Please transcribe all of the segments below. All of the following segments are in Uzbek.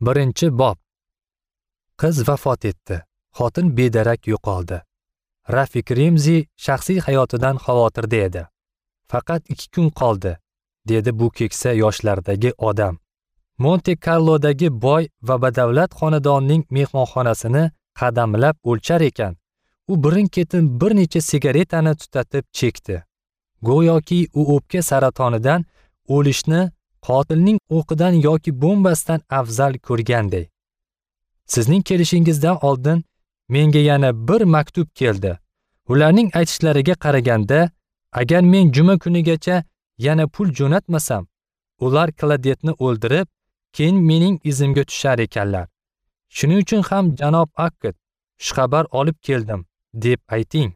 1-bob. Qiz vafot etdi. Xotin bedarak yo'qoldi. Rafik Remzi shaxsiy hayotidan xavotirda edi. Faqat 2 kun qoldi, dedi bu keksa yoshlardagi odam. Monte Carlodagi boy va badavlat xonadonning mehmonxonasini qadamlab o'lchar ekan, u birin-ketin bir necha sigaretani tutatib chekdi. Go'yoki u o'pka saratonidan o'lishni qotilning o'qidan yoki bombasidan afzal ko'rganday. Sizning kelishingizdan oldin menga yana bir maktub keldi. Ularning aytishlariga qaraganda, agar men juma kunigacha yana pul jo'natmasam, ular Kladetni o'ldirib, keyin mening izimga tushar ekanlar. Shuning uchun ham janob Akkad, xushxabar olib keldim, deb ayting.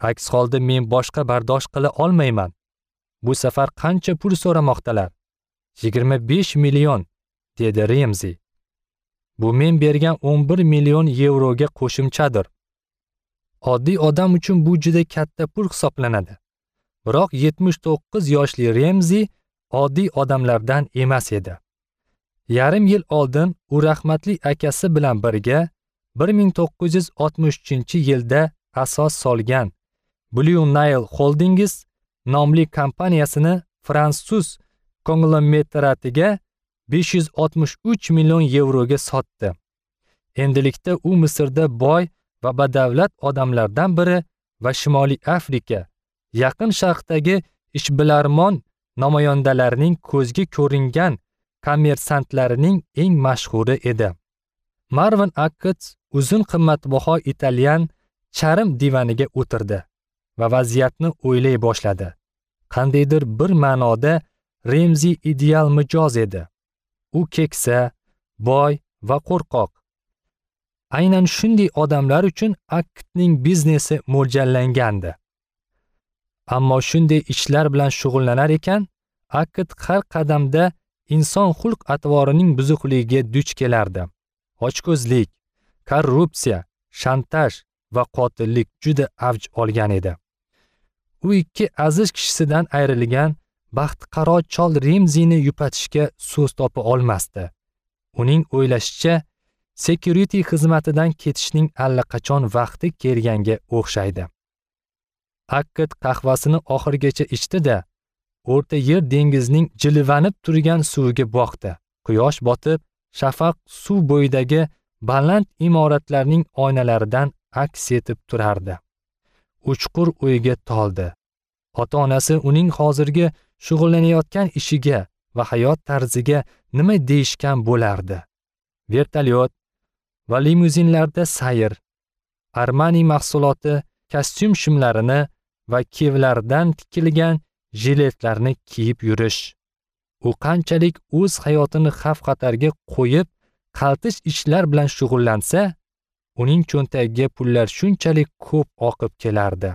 Aks holda men boshqa bardosh qila olmayman. Bu safar qancha pul so'ramoqdalar? 25 million, dedi Remzi. Bu men bergan 11 million yevroga qo'shimchadir. Oddiy odam uchun bu juda katta pul hisoblanadi. Biroq 79 yoshli Remzi oddiy odamlardan emas edi. Yarim yil oldin u rahmatli akasi bilan birga 1963-yilda asos solgan Blue Nile Holdings nomli kompaniyasini fransuz konglomeratiga 563 million yevroga sotdi. Endilikda u Misrda boy va badavlat odamlardan biri va Shimoliy Afrika, Yaqin Sharqdagi ishbilarmon namoyandalarining ko'zga ko'ringan kommersantlarining eng mashhuri edi. Marvin Akkad uzun qimmatbaho italyan charm divaniga o'tirdi va vaziyatni o'ylay boshladi. Qandaydir bir ma'noda Remzi ideal mijoz edi. U keksa, boy va qo'rqoq. Aynan shunday odamlar uchun Akkadning biznesi mo'ljallangandi. Ammo shunday ishlar bilan shug'ullanar ekan, Akkad har qadamda inson xulq-atvorining buzuqligiga duch kelardi. Ochko'zlik, korrupsiya, shantaj va qotillik juda avj olgan edi. U ikki aziz kishisidan ayrilgan baxtiqaro chol Remzini yupatishga so'z topa olmasdi. Uning o'ylashicha, security xizmatidan ketishning allaqachon vaqti kelganga o'xshaydi. Akkad qahvasini oxirigacha ichdi-da, O'rta Yer dengizining jilvanib turgan suviga boqdi. Quyosh botib, shafaq suv bo'yidagi baland imoratlarning oynalaridan aks etib turardi. Uchqur o'yga toldi. Ota-onasi uning hozirgi shug'ullanayotgan ishiga va hayot tarziga nima deyishgan bo'lardi? Vertolyot va limuzinlarda sayr, Armani mahsuloti, kostyum shimlarini va kevlardan tikilgan jiletlarni kiyib yurish. U qanchalik o'z hayotini xavf-xatarga qo'yib, qaltish ishlar bilan shug'ullansa, uning cho'ntagiga pullar shunchalik ko'p oqib kelardi.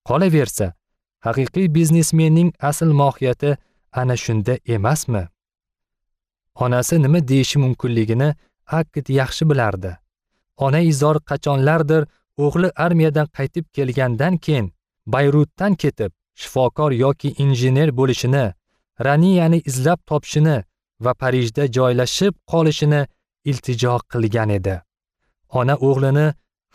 Qolaversa, haqiqiy biznesmenning asl mohiyati ana shunda emasmi? Onasi nima deyishi mumkinligini Akkad yaxshi bilardi. Ona izor qachonlardir o'g'li armiyadan qaytib kelgandan keyin Bayrutdan ketib, shifokor yoki injener bo'lishini, Raniyani izlab topishini va Parijda joylashib qolishini iltijo qilgan edi. Ona o'g'lini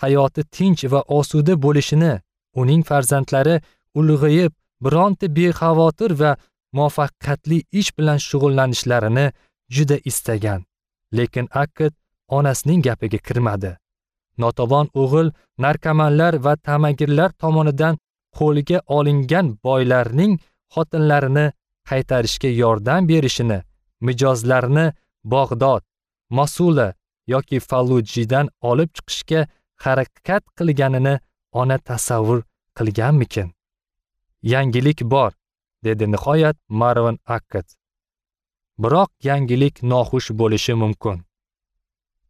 hayoti tinch va osuda bo'lishini, uning farzandlari ulg'ayib, bironta bexavotir va muvaffaqiyatli ish bilan shug'ullanishlarini juda istagan. Lekin Akkad onasining gapiga kirmadi. Notavon o'g'il narkomanlar va tamagirlar tomonidan qo'lga olingan boylarning xotinlarini qaytarishga yordam berishini, mijozlarni Bag'dod, Mosula yoki Fallujidan olib chiqishga harakat qilganini ona tasavvur qilganmikin? Yangilik bor, dedi nihoyat Marvin Akkad. Biroq yangilik noxush bo'lishi mumkin.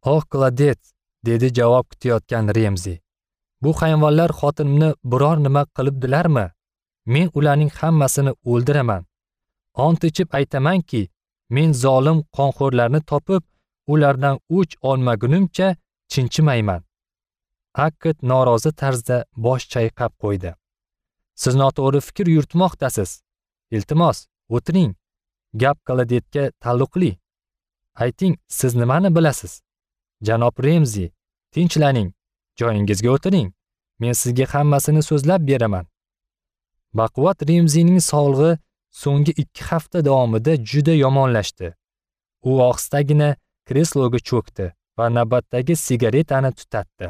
"Oh, Kladet", dedi javob kutayotgan Remzi. "Bu hayvonlar xotinimni biror nima qilibdilarmi? Men ularning hammasini o'ldiraman. Ont ichib aytamanki, men zolim qonxo'rlarni topib, ulardan o'ch olmagunimcha chinchimayman." Akkad norozi tarzda bosh chayqab qo'ydi. "Siz noto'g'ri fikr yuritmoqdasiz. Iltimos, o'tiring. Gap Kladetga taalluqli. Ayting, siz nimani bilasiz? Janob Remzi, tinchlaning, joyingizga o'tiring. Men sizga hammasini so'zlab beraman. Baquvvat Remzining sog'lig'i so'nggi 2 hafta davomida juda yomonlashdi. U ohistagina kresloga cho'kdi va navbatdagi sigaretani tutatdi.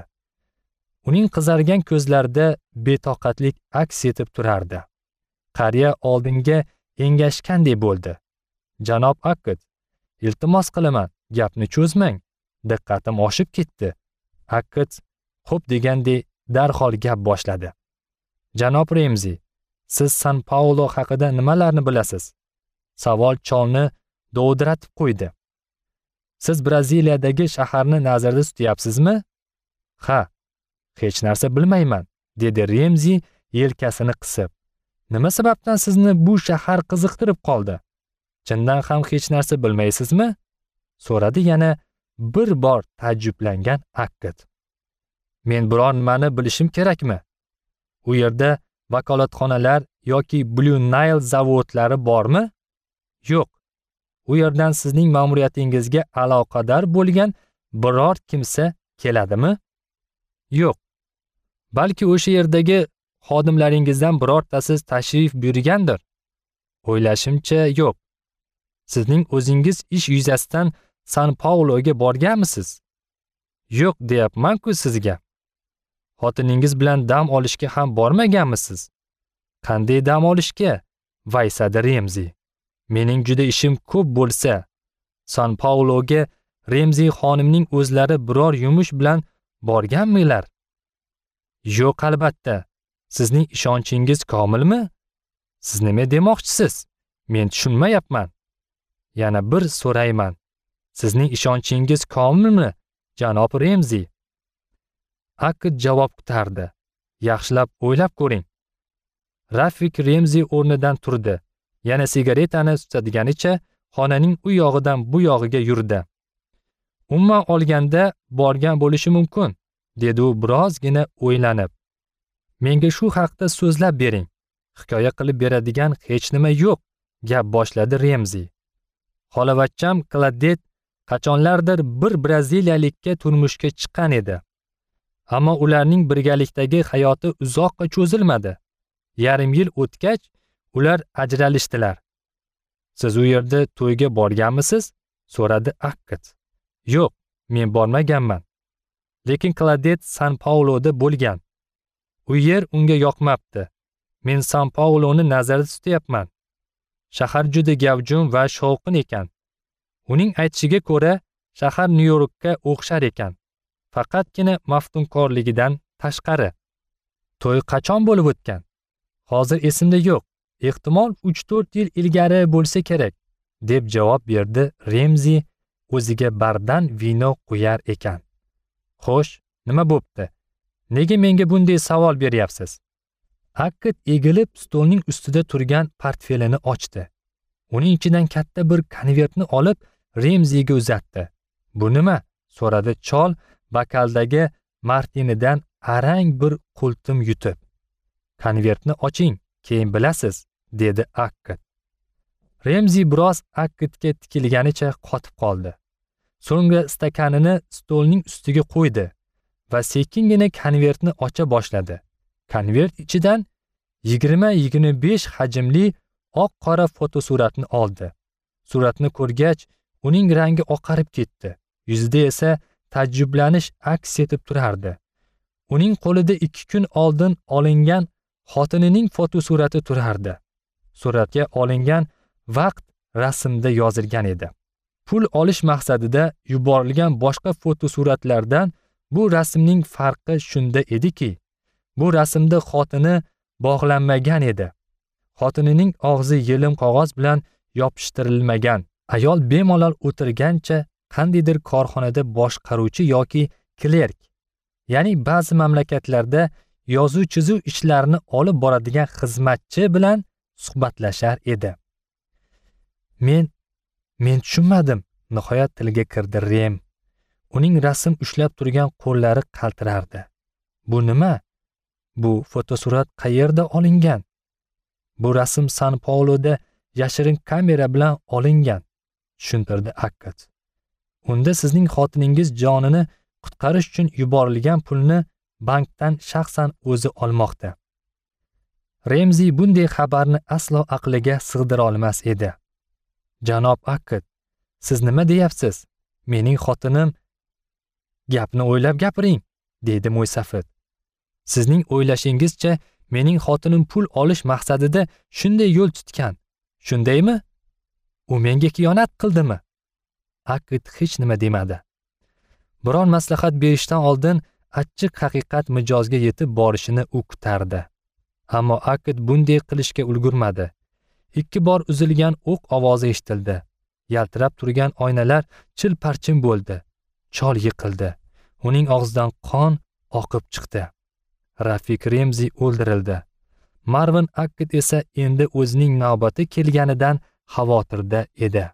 Uning qizargan ko'zlarida betoqatlik aks etib turardi. Qariya oldinga engashgandek bo'ldi. Janob Akkad, iltimos qilaman, gapni cho'zmang. Diqqatim oshib ketdi. Akkad xo'p degandek darhol gap boshladi. Janob Remzi, siz San Paulo haqida nimalarni bilasiz? Savol cholni dovdiratib qo'ydi. Siz Braziliyadagi shaharni nazarda tutyapsizmi? Ha, hech narsa bilmayman, dedi Remzi yelkasini qisib. Nima sababdan sizni bu shahar qiziqtirib qoldi? Chindan ham hech narsa bilmaysizmi? So'radi yana bir bor taajjublangan Akkad. Men biror nimani bilishim kerakmi? U yerda vakolatxonalar yoki Blue Nile zavodlari bormi? Yo'q. U yerdan sizning ma'muriyatingizga aloqador bo'lgan biror kimsa keladimi? Yo'q. Balki o'sha yerdagi xodimlaringizdan birortasi tashrif buyurgandir? O'ylashimcha, yo'q. Sizning o'zingiz ish yuzasidan San Pauloga borganmisiz? Yo'q deyapman-ku sizga. Xotiningiz bilan dam olishga ham bormaganmisiz? Qanday dam olishga? Vaysadi Remzi. Mening juda ishim ko'p bo'lsa, San Pauloga Remzi xonimning o'zlari biror yumush bilan borganmilar? Yo'q, albatta. Sizning ishonchingiz komilmi? Siz nima demoqchisiz? Men tushunmayapman. Yana bir so'rayman. Sizning ishonchingiz komilmi, janob Remzi? Akkad javob kutardi. Yaxshilab o'ylab ko'ring. Rafik Remzi o'rnidan turdi. Yana sigaretani tutadiganicha xonaning u yog'idan bu yog'iga yurdi. Umuman olganda borgan bo'lishi mumkin, dedi u birozgina o'ylanib. Menga shu haqda so'zlab bering. Hikoya qilib beradigan hech nima yo'q, gap boshladi Remzi. Xolavachcham Kladet qachonlardir bir braziliyalikka turmushga chiqqan edi. Ammo ularning birgalikdagi hayoti uzoqqa cho'zilmadi. Yarim yil o'tgach, ular ajralishdilar. Siz u yerda to'yga borganmisiz? So'radi Akkad. Yo'q, men bormaganman. Lekin Kladet San Pauloda bo'lgan. U yer unga yoqmabdi. Men San Pauloni nazarda tutyapman. Shahar juda gavjum va shovqin ekan. Uning aytishiga ko'ra, shahar Nyu-Yorkka o'xshar ekan. Faqatgina maftunkorligidan tashqari. To'y qachon bo'lib o'tgan? Hozir esimda yo'q. Ehtimol 3-4 yil ilgari bo'lsa kerak, deb javob berdi Remzi o'ziga bardan vino quyar ekan. Xo'sh, nima bo'pti? Nega menga bunday savol beryapsiz? Akkad egilib stolning ustida turgan portfelini ochdi. Uning ichidan katta bir konvertni olib Remziga uzatdi. Bu nima? So'radi chol bakaldagi martinidan arang bir qultum yutib. Konvertni oching, keyin bilasiz, dedi Akkad. Remzi biroz Akkadga tikilganicha qotib qoldi. So'ngra stakanini stolning ustiga qo'ydi va sekingina konvertni ocha boshladi. Konvert ichidan 20-25 hajmli oq-qora fotosuratni oldi. Suratni ko'rgach, uning rangi oqarib ketdi. Yuzida esa taajjublanish aks etib turardi. Uning qo'lida 2 kun oldin olingan xotinining fotosurati turardi. Suratga olingan vaqt rasmda yozilgan edi. Pul olish maqsadida yuborilgan boshqa fotosuratlardan bu rasmning farqi shunda ediki, bu rasmda xotini bog'lanmagan edi. Xotinining og'zi yelim qog'oz bilan yopishtirilmagan. Ayol bemalol o'tirgancha qandaydir korxonada boshqaruvchi yoki klerk, ya'ni ba'zi mamlakatlarda yozuv chizuv ishlarini olib boradigan xizmatchi bilan suhbatlashar edi. Men tushunmadim, nihoyat tilga kirdi Rem. Uning rasm ushlab turgan qo'llari qaltirardi. Bu nima? Bu fotosurat qayerda olingan? Bu rasm San Pauloda yashirin kamera bilan olingan, tushuntirdi Akkad. Unda sizning xotiningiz jonini qutqarish uchun yuborilgan pulni bankdan shaxsan o'zi olmoqda. Remzi bunday xabarni aslo aqliga sig'dira olmas edi. Janob Akkad, siz nima deyapsiz? Mening xotinim... Gapni o'ylab gapiring, dedi mo'ysafid. Sizning o'ylashingizcha mening xotinim pul olish maqsadida shunday yo'l tutgan. Shundaymi? U menga xiyonat qildimi? Akkad hech nima demadi. Biron maslahat berishdan oldin achchiq haqiqat mijozga yetib borishini u kutardi. Ammo Akkad bunday qilishga ulgurmadi. 2 bor uzilgan o'q ovozi eshitildi. Yaltirab turgan oynalar chil-parchin bo'ldi. Chol yiqildi. Uning og'zidan qon oqib chiqdi. Rafik Remzi o'ldirildi. Marvin Akkad esa endi o'zining navbati kelganidan xavotirda edi.